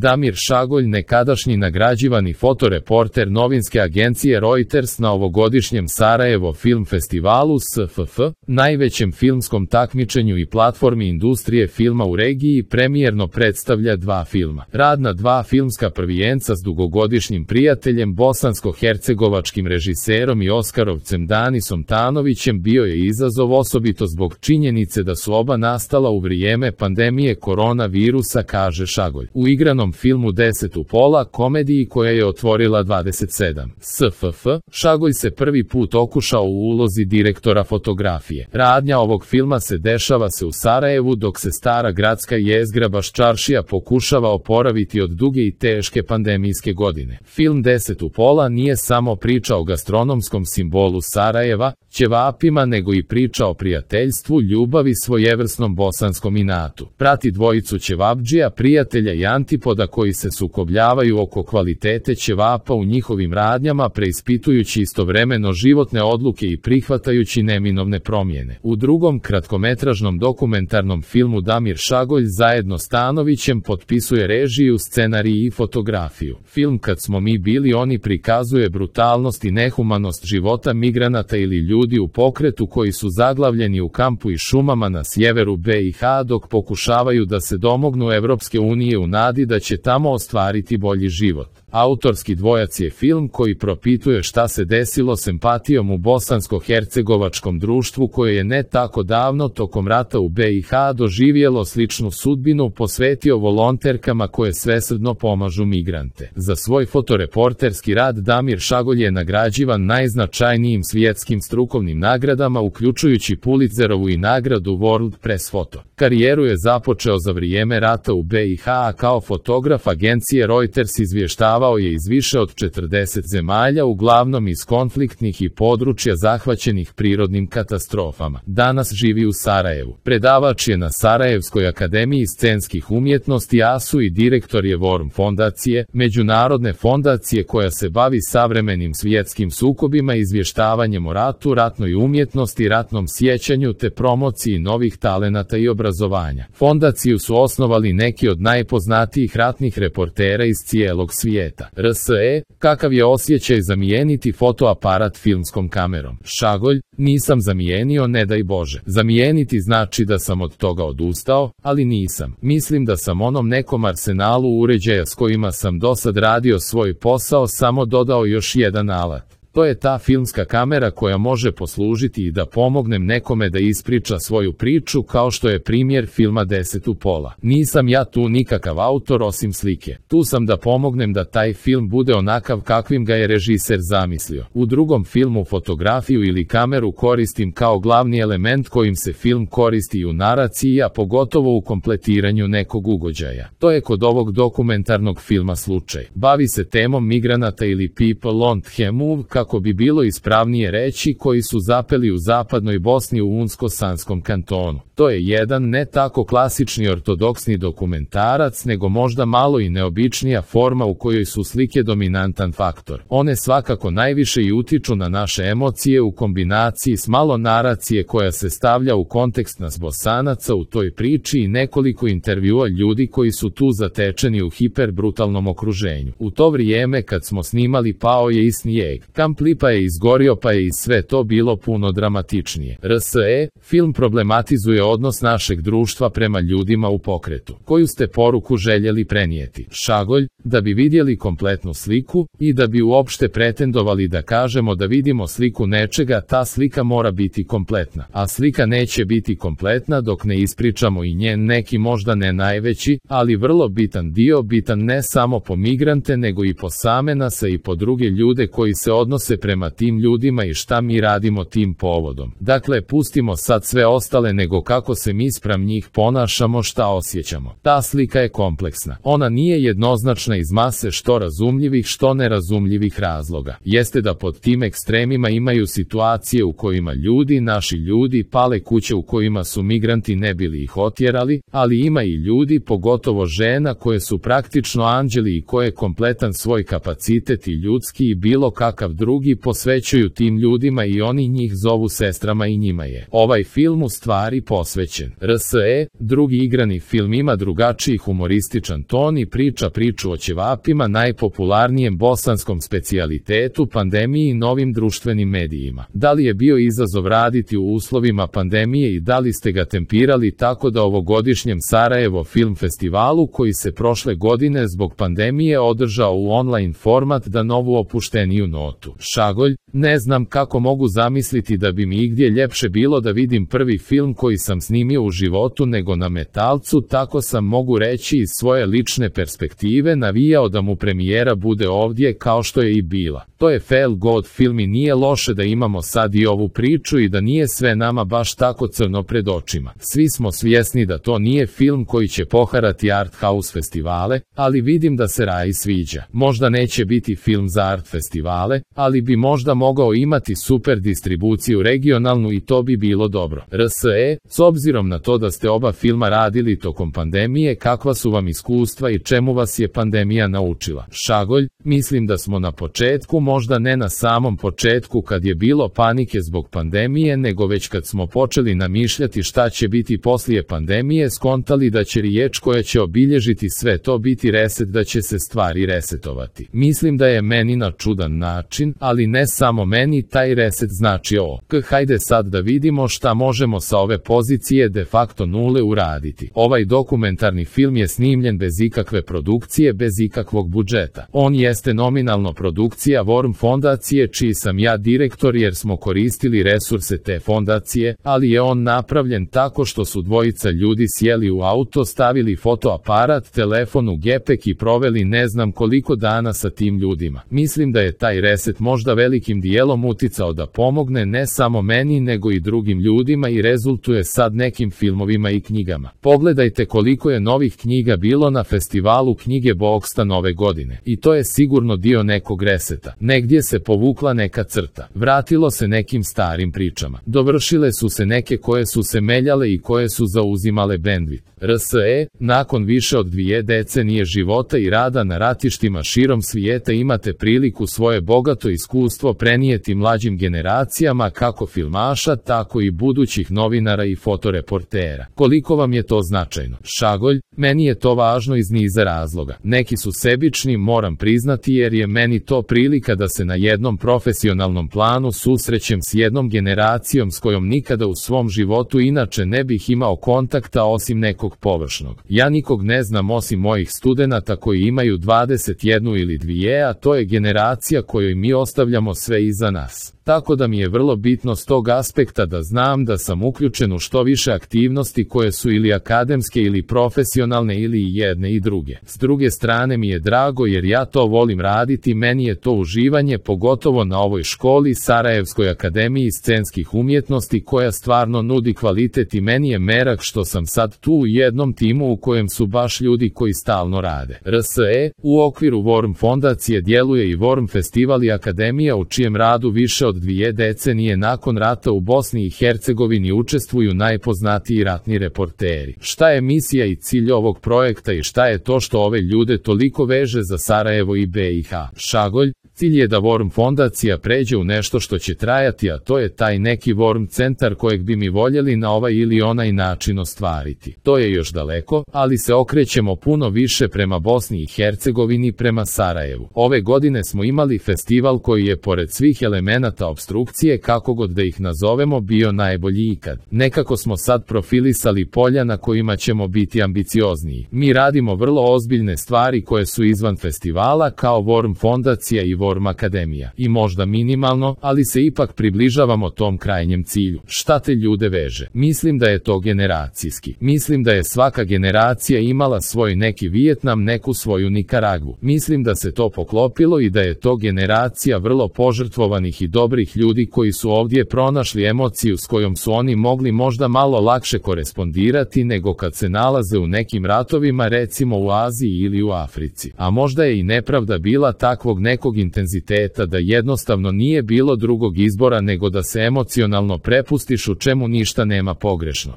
Damir Šagolj, nekadašnji nagrađivani fotoreporter novinske agencije Reuters na ovogodišnjem Sarajevo Film Festivalu SFF, najvećem filmskom takmičenju i platformi industrije filma u regiji, premijerno predstavlja dva filma. Rad na dva filmska prvijenca s dugogodišnjim prijateljem bosansko-hercegovačkim režiserom i Oskarovcem Danisom Tanovićem bio je izazov, osobito zbog činjenice da su oba nastala u vrijeme pandemije koronavirusa, kaže Šagolj. U igranom filmu 10 u pola, komediji koja je otvorila 27 SFF, Šagolj se prvi put okušao u ulozi direktora fotografije. Radnja ovog filma se dešava u Sarajevu, dok se stara gradska jezgra Baščaršija pokušava oporaviti od duge i teške pandemijske godine. Film 10 u pola nije samo priča o gastronomskom simbolu Sarajeva, ćevapima, nego i priča o prijateljstvu, ljubavi, svojevrsnom bosanskom inatu. Prati dvojicu ćevapdžija, prijatelja i antipoda koji se sukobljavaju oko kvalitete ćevapa u njihovim radnjama, preispitujući istovremeno životne odluke i prihvatajući neminovne promjene. U drugom kratkometražnom dokumentarnom filmu Damir Šagolj zajedno s Tanovićem potpisuje režiju, scenarij i fotografiju. Film Kad smo mi bili oni prikazuje brutalnost i nehumanost života migranata ili ljudi u pokretu koji su zaglavljeni u kampu i šumama na sjeveru BiH dok pokušavaju da se domognu Evropske unije u nadi da će tamo ostvariti bolji život. Autorski dvojac je film koji propituje šta se desilo s empatijom u bosansko-hercegovačkom društvu koje je ne tako davno tokom rata u BiH doživjelo sličnu sudbinu, posvetio volonterkama koje svesrdno pomažu migrante. Za svoj fotoreporterski rad Damir Šagolj je nagrađivan najznačajnijim svjetskim strukovnim nagradama, uključujući Pulitzerovu i nagradu World Press Photo. Karijeru je započeo za vrijeme rata u BiH, a kao fotograf agencije Reuters izvještavao je iz više od 40 zemalja, uglavnom iz konfliktnih i područja zahvaćenih prirodnim katastrofama. Danas živi u Sarajevu. Predavač je na Sarajevskoj akademiji scenskih umjetnosti ASU i direktor je Worm fondacije, međunarodne fondacije koja se bavi savremenim svjetskim sukobima, izvještavanjem o ratu, ratnoj umjetnosti, ratnom sjećanju te promociji novih talenata i obrazovanja. Fondaciju su osnovali neki od najpoznatijih ratnih reportera iz cijelog svijeta. RSE, kakav je osjećaj zamijeniti fotoaparat filmskom kamerom? Šagolj, nisam zamijenio, ne daj Bože. Zamijeniti znači da sam od toga odustao, ali nisam. Mislim da sam onom nekom arsenalu uređaja s kojima sam dosad radio svoj posao samo dodao još jedan alat. To je ta filmska kamera koja može poslužiti i da pomognem nekome da ispriča svoju priču, kao što je primjer filma 10 u pola. Nisam ja tu nikakav autor osim slike. Tu sam da pomognem da taj film bude onakav kakvim ga je režiser zamislio. U drugom filmu fotografiju ili kameru koristim kao glavni element kojim se film koristi u naraciji, a pogotovo u kompletiranju nekog ugođaja. To je kod ovog dokumentarnog filma slučaj. Bavi se temom migranata ili people on the move, kako bi bilo ispravnije reći, koji su zapeli u zapadnoj Bosni u Unsko-Sanskom kantonu. To je jedan ne tako klasični ortodoksni dokumentarac, nego možda malo i neobičnija forma u kojoj su slike dominantan faktor. One svakako najviše i utiču na naše emocije u kombinaciji s malo naracije koja se stavlja u kontekst nas Bosanaca u toj priči i nekoliko intervjua ljudi koji su tu zatečeni u hiperbrutalnom okruženju. U to vrijeme kad smo snimali pao je i snijeg, kamp Lipa je izgorio, pa je i sve to bilo puno dramatičnije. RSE, film problematizuje odnos našeg društva prema ljudima u pokretu. Koju ste poruku željeli prenijeti? Šagolj, da bi vidjeli kompletnu sliku i da bi uopšte pretendovali da kažemo da vidimo sliku nečega, ta slika mora biti kompletna. A slika neće biti kompletna dok ne ispričamo i njen neki možda ne najveći, ali vrlo bitan dio, bitan ne samo po migrante nego i po same nas i po druge ljude koji se odnose prema tim ljudima i šta mi radimo tim povodom. Dakle, pustimo sad sve ostale, nego kako se mi spram njih ponašamo, šta osjećamo. Ta slika je kompleksna. Ona nije jednoznačna iz mase što razumljivih, što nerazumljivih razloga. Jeste da pod tim ekstremima imaju situacije u kojima ljudi, naši ljudi, pale kuće u kojima su migranti ne bili ih otjerali, ali ima i ljudi, pogotovo žena, koje su praktično anđeli i koje kompletan svoj kapacitet i ljudski i bilo kakav drugi drugi posvećuju tim ljudima i oni njih zovu sestrama i njima je ovaj film u stvari posvećen. RSE, drugi igrani film ima drugačiji humorističan ton i priča priču o ćevapima, najpopularnijem bosanskom specijalitetu, pandemiji i novim društvenim medijima. Da li je bio izazov raditi u uslovima pandemije i da li ste ga tempirali tako da ovogodišnjem Sarajevo Film Festivalu koji se prošle godine zbog pandemije održao u online format da novu opušteniju notu. Šagolj, ne znam kako mogu zamisliti da bi mi igdje ljepše bilo da vidim prvi film koji sam snimio u životu nego na Metalcu, tako sam mogu reći iz svoje lične perspektive navijao da mu premijera bude ovdje kao što je i bila. To je feel good film i nije loše da imamo sad i ovu priču i da nije sve nama baš tako crno pred očima. Svi smo svjesni da to nije film koji će poharati art house festivale, ali vidim da se Raji sviđa. Možda neće biti film za art festivale, ali bi možda mogao imati super distribuciju regionalnu i to bi bilo dobro. RSE, s obzirom na to da ste oba filma radili tokom pandemije, kakva su vam iskustva i čemu vas je pandemija naučila? Šagolj, mislim da smo na početku, možda ne na samom početku kad je bilo panike zbog pandemije, nego već kad smo počeli namišljati šta će biti poslije pandemije, skontali da će riječ koja će obilježiti sve to biti reset, da će se stvari resetovati. Mislim da je meni na čudan način, ali ne samo meni, taj reset znači hajde sad da vidimo šta možemo sa ove pozicije de facto nule uraditi. Ovaj dokumentarni film je snimljen bez ikakve produkcije, bez ikakvog budžeta. On jeste nominalno produkcija Worm fondacije, čiji sam ja direktor jer smo koristili resurse te fondacije, ali je on napravljen tako što su dvojica ljudi sjeli u auto, stavili fotoaparat, telefon u gepek i proveli ne znam koliko dana sa tim ljudima. Mislim da je taj reset možda velikim dijelom uticao da pomogne ne samo meni nego i drugim ljudima i rezultuje sad nekim filmovima i knjigama. Pogledajte koliko je novih knjiga bilo na festivalu knjige Boksta nove godine. I to je sigurno dio nekog reseta. Negdje se povukla neka crta. Vratilo se nekim starim pričama. Dovršile su se neke koje su se meljale i koje su zauzimale bandwidth. RSE, nakon više od 2 decenije života i rada na ratištima širom svijeta imate priliku svoje bogato iskustvo prenijeti mlađim generacijama kako filmaša, tako i budućih novinara i fotoreportera. Koliko vam je to značajno? Šagolj, meni je to važno iz niza razloga. Neki su sebični, moram priznati, jer je meni to prilika da se na jednom profesionalnom planu susrećem s jednom generacijom s kojom nikada u svom životu inače ne bih imao kontakta osim nekog površnog. Ja nikog ne znam osim mojih studenata koji imaju 21 ili 2, a to je generacija kojoj mi ostavljamo sve iza nas. Tako da mi je vrlo bitno s tog aspekta da znam da sam uključen u što više aktivnosti koje su ili akademske ili profesionalne ili i jedne i druge. S druge strane mi je drago jer ja to volim raditi, meni je to uživanje, pogotovo na ovoj školi, Sarajevskoj akademiji scenskih umjetnosti koja stvarno nudi kvalitet i meni je merak što sam sad tu u jednom timu u kojem su baš ljudi koji stalno rade. RSE, u okviru Worm fondacije djeluje i Worm festival i akademija u čijem radu više od 2 decenije nakon rata u Bosni i Hercegovini učestvuju najpoznatiji ratni reporteri. Šta je misija i cilj ovog projekta i šta je to što ove ljude toliko veže za Sarajevo i BiH? Šagolj, cilj je da Worm fondacija pređe u nešto što će trajati, a to je taj neki Worm centar kojeg bi mi voljeli na ovaj ili onaj način ostvariti. To je još daleko, ali se okrećemo puno više prema Bosni i Hercegovini, prema Sarajevu. Ove godine smo imali festival koji je pored svih elemenata opstrukcije, kako god da ih nazovemo, bio najbolji ikad. Nekako smo sad profilisali polja na kojima ćemo biti ambiciozniji. Mi radimo vrlo ozbiljne stvari koje su izvan festivala kao Worm fondacija i Worm akademija. I možda minimalno, ali se ipak približavamo tom krajnjem cilju. Šta te ljude veže? Mislim da je to generacijski. Mislim da je svaka generacija imala svoj neki Vijetnam, neku svoju Nikaragvu. Mislim da se to poklopilo i da je to generacija vrlo požrtvovanih i dobrih ljudi koji su ovdje pronašli emociju s kojom su oni mogli možda malo lakše korespondirati nego kad se nalaze u nekim ratovima, recimo u Aziji ili u Africi. A možda je i nepravda bila takvog nekog intenziteta da jednostavno nije bilo drugog izbora nego da se emocionalno prepustiš, u čemu ništa nema pogrešno.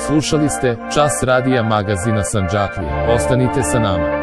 Slušali ste Čas radija magazina Sandžaklije. Ostanite sa nama.